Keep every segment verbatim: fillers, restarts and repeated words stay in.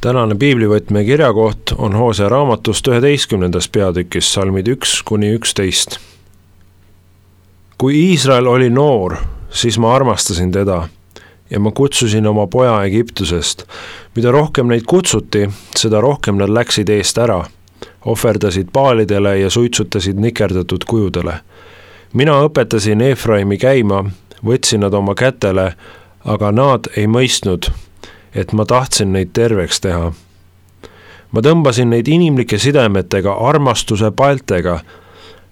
Tänane piiblivõtme kirjakoht on Hoosea raamatust üheteistkümnendas peatükis, salmid üks kuni üksteist. Kui Iisrael oli noor, siis ma armastasin teda ja ma kutsusin oma poja Egiptusest. Mida rohkem neid kutsuti, seda rohkem nad läksid eest ära, ohverdasid paalidele ja suitsutasid nikerdatud kujudele. Mina õpetasin Efraimi käima, võtsin nad oma kätele, aga nad ei mõistnud, et ma tahtsin neid terveks teha. Ma tõmbasin neid inimlike sidemetega, armastuse paltega.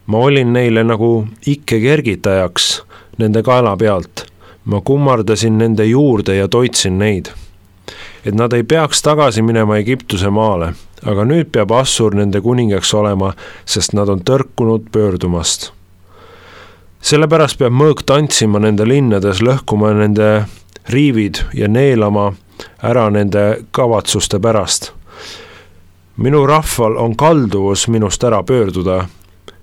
Ma olin neile nagu ikke kergitajaks nende kaela pealt. Ma kummardasin nende juurde ja toitsin neid. Et nad ei peaks tagasi minema Egiptuse maale, aga nüüd peab Assur nende kuningaks olema, sest nad on tõrkunud pöördumast. Sellepärast peab mõõk tantsima nende linnades, lõhkuma nende riivid ja neelama ära nende kavatsuste pärast. Minu rahval on kalduvus minust ära pöörduda,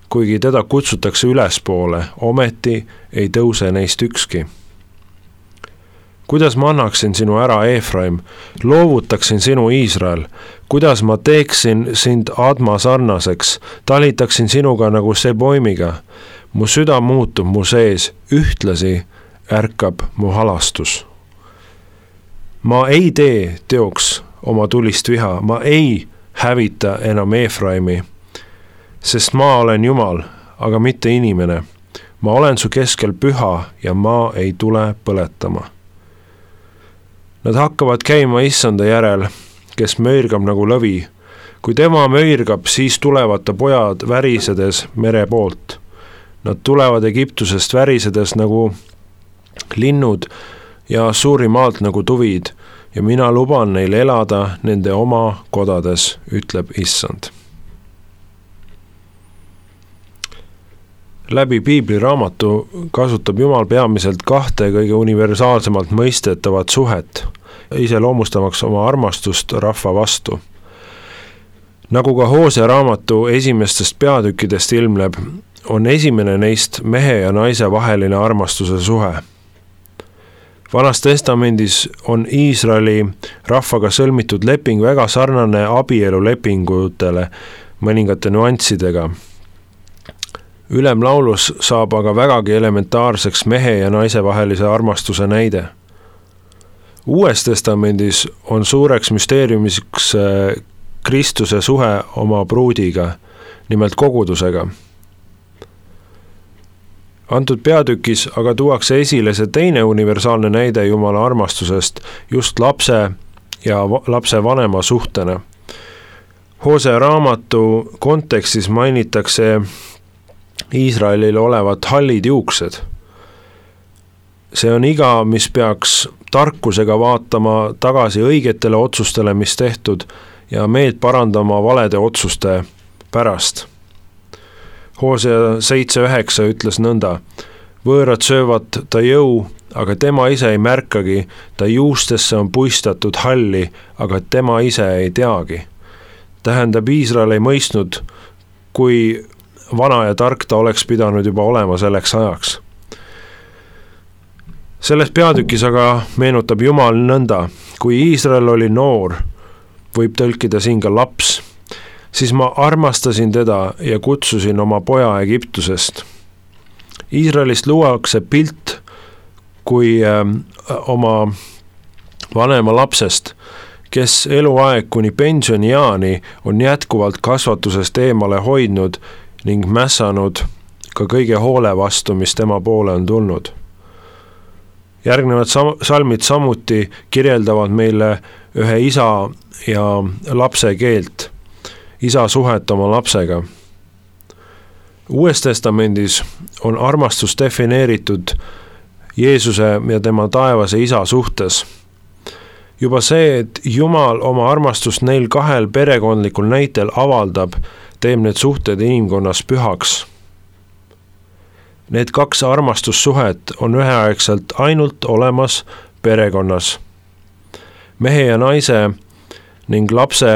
kuigi teda kutsutakse ülespoole, ometi ei tõuse neist ükski. Kuidas ma annaksin sinu ära, Efraim, loovutaksin sinu Iisrael, kuidas ma teeksin sind Adma sarnaseks, talitaksin sinuga nagu Seboimiga, mu süda muutub mu sees, ühtlasi ärkab mu halastus. Ma ei tee teoks oma tulist viha, ma ei hävita enam Efraimi, sest ma olen Jumal, aga mitte inimene. Ma olen su keskel püha ja ma ei tule põletama. Nad hakkavad käima issanda järel, kes möirgab nagu lõvi. Kui tema möirgab, siis tulevad ta pojad värisedes mere poolt. Nad tulevad Egiptusest värisedes nagu linnud ja suuri maalt nagu tuvid, ja mina luban neil elada nende oma kodades, ütleb issand. Läbi piibliraamatu kasutab Jumal peamiselt kahte kõige universaalsemalt mõistetavat suhet, iseloomustamaks oma armastust rahva vastu. Nagu ka Hoosea raamatu esimestest peatükkidest ilmneb, on esimene neist mehe ja naise vaheline armastuse suhe. Vanas testamendis on Iisraeli rahvaga sõlmitud leping väga sarnane abielulepingutele mõningate nüanssidega. Ülemlaulus saab aga vägagi elementaarseks mehe ja naise vahelise armastuse näide. Uues testamendis on suureks müsteeriumiks Kristuse suhe oma pruudiga, nimelt kogudusega. Antud peatükis aga tuuakse esile see teine universaalne näide Jumala armastusest just lapse ja lapse vanema suhtena. Hoosea raamatu kontekstis mainitakse Iisraelil olevat hallid juuksed. See on iga, mis peaks tarkusega vaatama tagasi õigetele otsustele, mis tehtud, ja meelt parandama valede otsuste pärast. Hoosea seitse üheksa ütles nõnda, võõrad söövad ta jõu, aga tema ise ei märkagi, ta juustesse on puistatud halli, aga tema ise ei teagi. Tähendab, Iisrael ei mõistnud, kui vana ja tark ta oleks pidanud juba olema selleks ajaks. Selles peatükis aga meenutab Jumal nõnda, kui Iisrael oli noor, võib tõlkida siin ka laps, siis ma armastasin teda ja kutsusin oma poja Egiptusest. Iisraelist luuakse pilt kui äh, oma vanema lapsest, kes eluaeg kuni pensioniaani on jätkuvalt kasvatusest eemale hoidnud ning mässanud ka kõige hoole vastu, mis tema poole on tulnud. Järgnevad sam- salmid samuti kirjeldavad meile ühe isa ja lapse keelt, isa suhet oma lapsega. Uues testamendis on armastus defineeritud Jeesuse ja tema taevase isa suhtes. Juba see, et Jumal oma armastust neil kahel perekondlikul näitel avaldab, teeb need suhted inimkonnas pühaks. Need kaks armastussuhet on üheaegselt ainult olemas perekonnas. Mehe ja naise ning lapse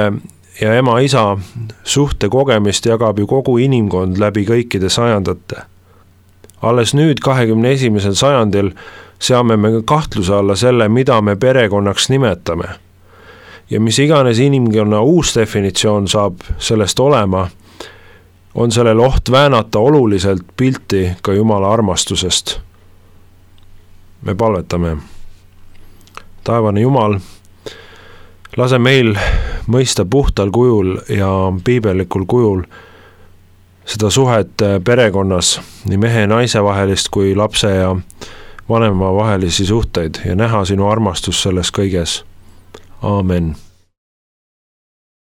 ja ema-isa suhte kogemist jagab ju kogu inimkond läbi kõikide sajandate. Alles nüüd kahekümne esimesel sajandil seame me kahtluse alla selle, mida me perekonnaks nimetame. ja mis iganes inimkonna uus definitsioon saab sellest olema, on sellel oht väänata oluliselt pilti ka Jumala armastusest. Me palvetame. Taevane Jumal, lase meil mõista puhtal kujul ja piibellikul kujul seda suhet perekonnas, nii mehe ja naise vahelist kui lapse ja vanema vahelisi suhteid ja näha sinu armastus selles kõiges. Aamen.